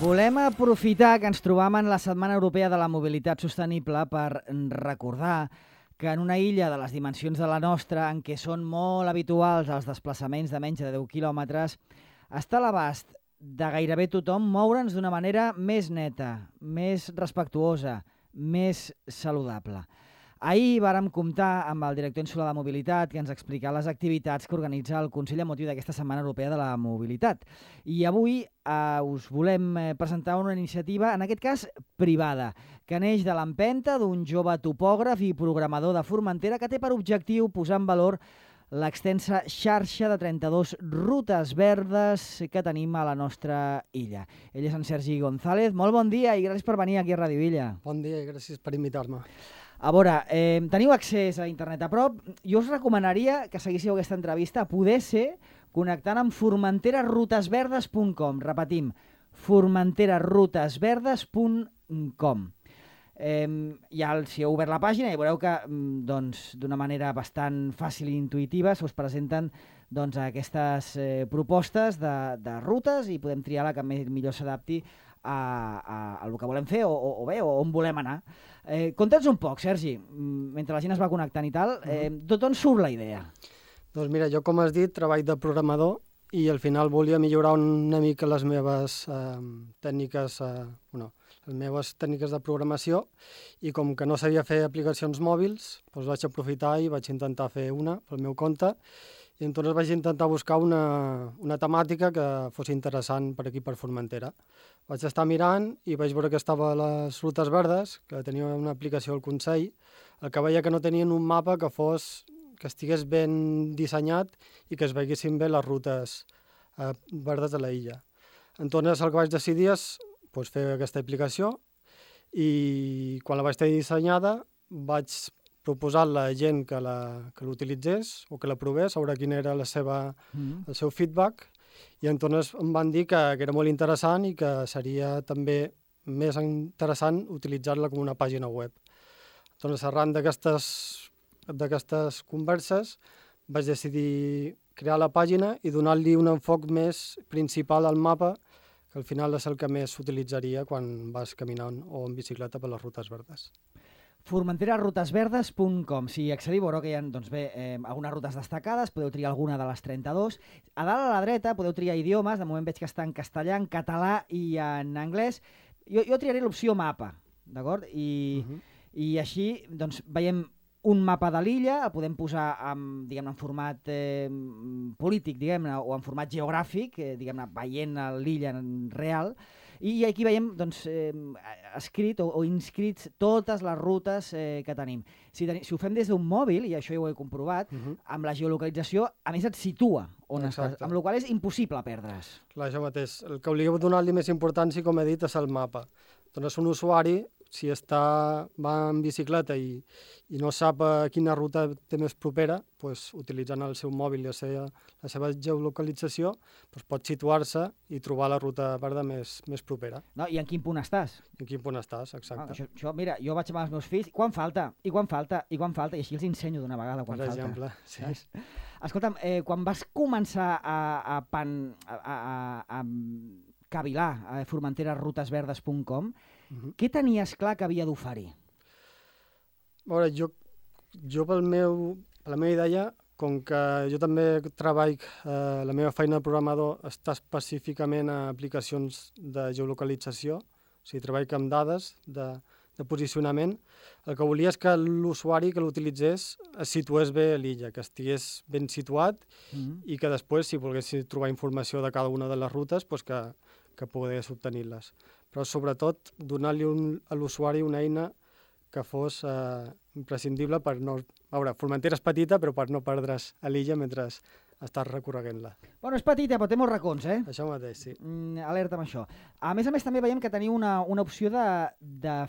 Volem aprofitar que ens trobam en la Setmana Europea de la Mobilitat Sostenible per recordar que en una illa de les dimensions de la nostra, en què són molt habituals els desplaçaments de menys de 10 quilòmetres, està a l'abast de gairebé tothom moure'ns d'una manera més neta, més respectuosa, més saludable. Ahir vàrem comptar amb el director insular de Mobilitat que ens explicà les activitats que organitza el Consell amb motiu d'aquesta Setmana Europea de la Mobilitat. I avui us volem presentar una iniciativa, en aquest cas privada, que neix de l'empenta d'un jove topògraf i programador de Formentera que té per objectiu posar en valor l'extensa xarxa de 32 rutes verdes que tenim a la nostra illa. Ell és en Sergi González. Molt bon dia i gràcies per venir aquí a Ràdio Illa. Bon dia i gràcies per invitar-me. A veure, teniu accés a internet a prop. Jo us recomanaria que seguíssiu aquesta entrevista, a poder ser connectant amb formenterarrutesverdes.com. Repetim, formenterarrutesverdes.com. Ja si heu obert la pàgina i veureu que d'una manera bastant fàcil i intuïtiva us presenten aquestes propostes de rutes i podem triar la que millor s'adapti a el que volem fer o on volem anar. Conta'ns un poc, Sergi, mentre la gent es va connectant i tal, d'on surt la idea? Doncs mira, jo com has dit, treball de programador i al final volia millorar una mica les meves tècniques de programació i com que no sabia fer aplicacions mòbils, doncs vaig aprofitar i vaig intentar fer una pel meu compte i llavors vaig intentar buscar una temàtica que fos interessant per aquí, per Formentera. Vaig estar mirant i vaig veure que estava a les rutes verdes, que tenia una aplicació al Consell, el que veia que no tenien un mapa que estigués ben dissenyat i que es veiessin bé les rutes verdes de la illa. Entonces el que vaig decidir és fer aquesta aplicació i quan la vaig tenir dissenyada vaig proposar a la gent que l'utilitzés o que la provés, a veure quin era el seu feedback, i entonces em van dir que era molt interessant i que seria també més interessant utilitzar-la com una pàgina web. Entonces, arran d'aquestes converses vaig decidir crear la pàgina i donar-li un enfoc més principal al mapa, que al final és el que més s'utilitzaria quan vas caminant o en bicicleta per les rutes verdes. formenterarrutesverdes.com. Si accediu, veureu que hi ha algunes rutes destacades, podeu triar alguna de les 32. A dalt a la dreta podeu triar idiomes, de moment veig que està en castellà, en català i en anglès. Jo triaré l'opció mapa, d'acord? I així veiem un mapa de l'illa, el podem posar en format polític, o en format geogràfic, veient l'illa real, i aquí veiem escrit o inscrits totes les rutes que tenim. Si ho fem des d'un mòbil, i això ja ho he comprovat, amb la geolocalització, a més et situa on estàs, amb la qual cosa és impossible perdre's. Clar, això mateix. El que hauríem de donar-li més importància, com he dit, és el mapa. Doncs un usuari, si va en bicicleta i no sap quina ruta té més propera, utilitzant el seu mòbil i la seva geolocalització, pot situar-se i trobar la ruta verda més propera. No, i en quin punt estàs? En quin punt estàs, exacte. Mira, jo vaig amb els meus fills, quan falta? I així els ensenyo d'una vegada quan falta. Per exemple, sí. Escolta'm, quan vas començar a cavilar a formenterarrutesverdes.com, què tenies clar que havia d'oferir? A veure, jo per la meva idea, com que jo també treballo, la meva feina de programador està específicament a aplicacions de geolocalització, o sigui, treballo amb dades de posicionament, el que volia és que l'usuari que l'utilitzés es situés bé a l'illa, que estigués ben situat i que després, si volgués trobar informació de cada una de les rutes, que pogués obtenir-les. Però sobretot donar-li a l'usuari una eina que fos imprescindible per no... A veure, Formentera és petita, però per no perdre's a l'illa mentre estàs recorreguent-la. Bueno, és petita, però té molts racons, eh? Això mateix, sí. Alerta amb això. A més també veiem que teniu una opció de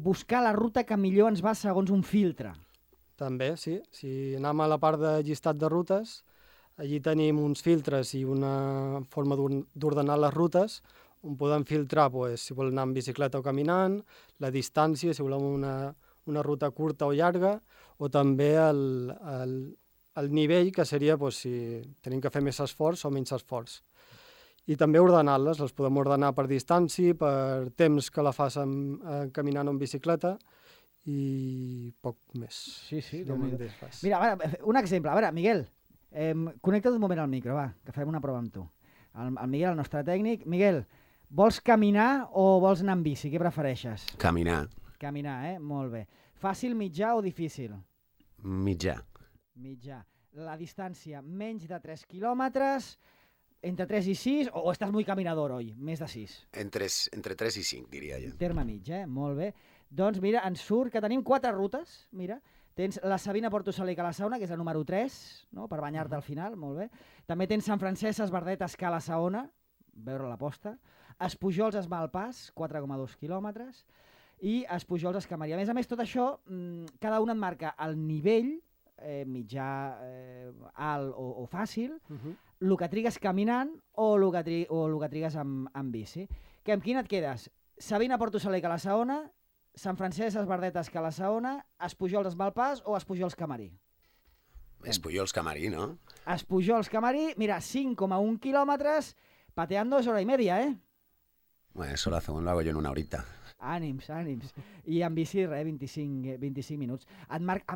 buscar la ruta que millor ens va segons un filtre. També, sí. Si anem a la part de llistat de rutes, allí tenim uns filtres i una forma d'ordenar les rutes, on podem filtrar si volem anar en bicicleta o caminant, la distància, si volem una ruta curta o llarga, o també el nivell, que seria si tenim que fer més esforç o menys esforç. i també ordenar-les. Les podem ordenar per distància, per temps que la facin caminant o en bicicleta, i poc més. Sí, Déu-n'hi-do. Mira, a veure, un exemple. A veure, Miguel, connecta't un moment al micro, va, que farem una prova amb tu. El Miguel, el nostre tècnic. Miguel, vols caminar o vols anar amb bici? Què prefereixes? Caminar. Caminar, molt bé. Fàcil, mitjà o difícil? Mitjà. Mitjà. La distància, menys de 3 quilòmetres, entre 3 i 6, o estàs molt caminador, oi? Més de 6. Entre 3 i 5, diria jo. Terme mig, molt bé. Doncs mira, ens surt que tenim 4 rutes, mira. Tens la Sabina Porto Saler i Calassaona, que és la número 3, no? Per banyar-te al final, molt bé. També tens Sant Francesc, Esbardet, Escala, Saona, veure la posta. Espujols, Esmalpàs, 4,2 quilòmetres. I Espujols, Escamaria. A més, tot això, cada un et marca el nivell, mitjà, alt o fàcil, el que trigues caminant o el que trigues amb bici. Que amb quin et quedes? Sabina, Porto Saler, Calassaona, Sant Francesc, Esbardet, Escala-Saona, Espujols, Esmalpàs o Espujols, Camarí? Espujols, Camarí, no? Espujols, Camarí, mira, 5,1 quilòmetres, pateando es hora y media, Bueno, eso lo hago yo en una horita. Ànims. I amb bici, 25 minuts.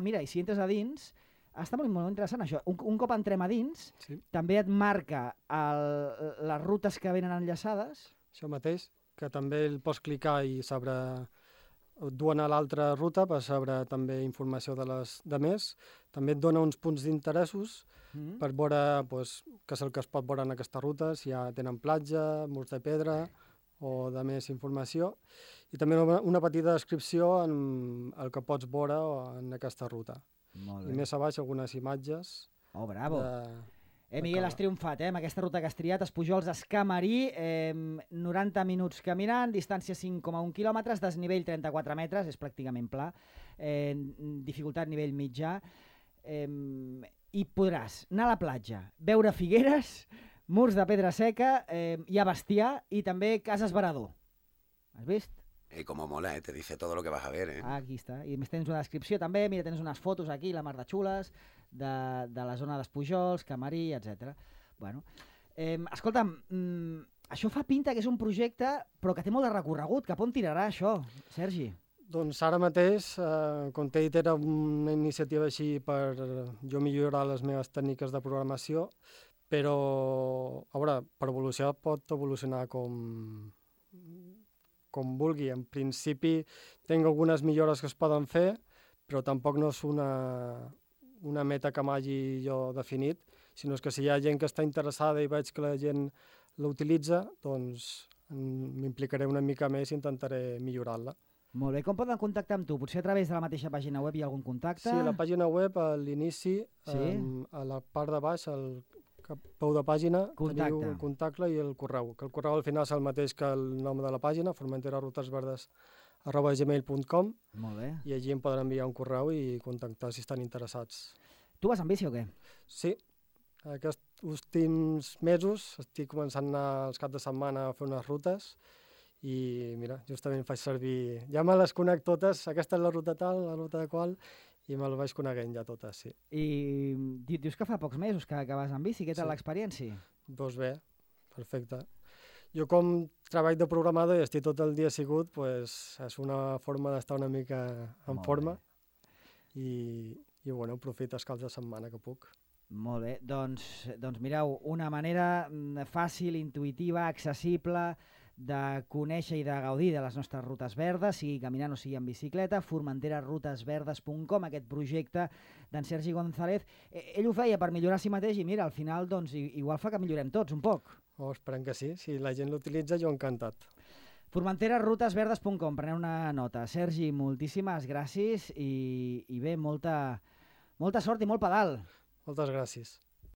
Mira, i si entres a dins, està molt interessant això. Un cop entrem a dins, també et marca les rutes que venen enllaçades. Això mateix, que també el pots clicar i saber et duen a l'altra ruta per saber també informació de més. També et dona uns punts d'interessos per veure què és el que es pot veure en aquesta ruta, si ja tenen platja, murs de pedra o de més informació. I també una petita descripció en el que pots veure en aquesta ruta. I més a baix algunes imatges. Oh, bravo! Miguel, has triomfat, amb aquesta ruta que has triat, Espujols, Escamarí, 90 minuts caminant, distància 5,1 quilòmetres, desnivell 34 metres, és pràcticament pla, dificultat nivell mitjà, i podràs anar a la platja, veure figueres, murs de pedra seca, hi ha bestiar i també cases Varador. Has vist? Como mola, te dice todo lo que vas a ver, Aquí està. I més tens una descripció també, mira, tens unes fotos aquí, la mar de xules, de la zona d'Espujols, Camarí, etc. Bueno, escolta'm, això fa pinta que és un projecte, però que té molt de recorregut. Cap on tirarà això, Sergi? Doncs ara mateix, com t'he dit, era una iniciativa així per jo millorar les meves tècniques de programació, però, a veure, per evolucionar pot evolucionar com vulgui. En principi, tinc algunes millores que es poden fer, però tampoc no és una meta que m'hagi jo definit, sinó que si hi ha gent que està interessada i veig que la gent l'utilitza, doncs m'implicaré una mica més i intentaré millorar-la. Molt bé. Com poden contactar amb tu? Potser a través de la mateixa pàgina web hi ha algun contacte? Sí, a la pàgina web, a l'inici, a la part de baix, al peu de pàgina, teniu el contacte i el correu. Que el correu al final és el mateix que el nom de la pàgina, formenterarutesverdes@gmail.com. Molt bé. I allí em poden enviar un correu i contactar si estan interessats. Tu vas amb bici o què? Sí. Aquests últims mesos estic començant a anar els caps de setmana a fer unes rutes i mira, justament faig servir... Ja me les conec totes, aquesta és la ruta tal, la ruta de qual, i me les vaig coneguent ja totes, sí. I dius que fa pocs mesos que vas amb bici, què tal l'experiència? Doncs bé, perfecte. Jo com treball de programador i estic tot el dia assegut, és una forma d'estar una mica en forma i bueno, aprofito els caps de setmana que puc. Molt bé, doncs mireu, una manera fàcil, intuïtiva, accessible de conèixer i de gaudir de les nostres rutes verdes, sigui caminant o sigui en bicicleta, formenterarutesverdes.com, aquest projecte d'en Sergi González. Ell ho feia per millorar a si mateix i mira, al final doncs, igual fa que millorem tots un poc. Esperem que sí, si la gent l'utilitza jo encantat. formenterarutesverdes.com, preneu una nota. Sergi, moltíssimes gràcies i bé, molta sort i molt pedal. Moltes gràcies.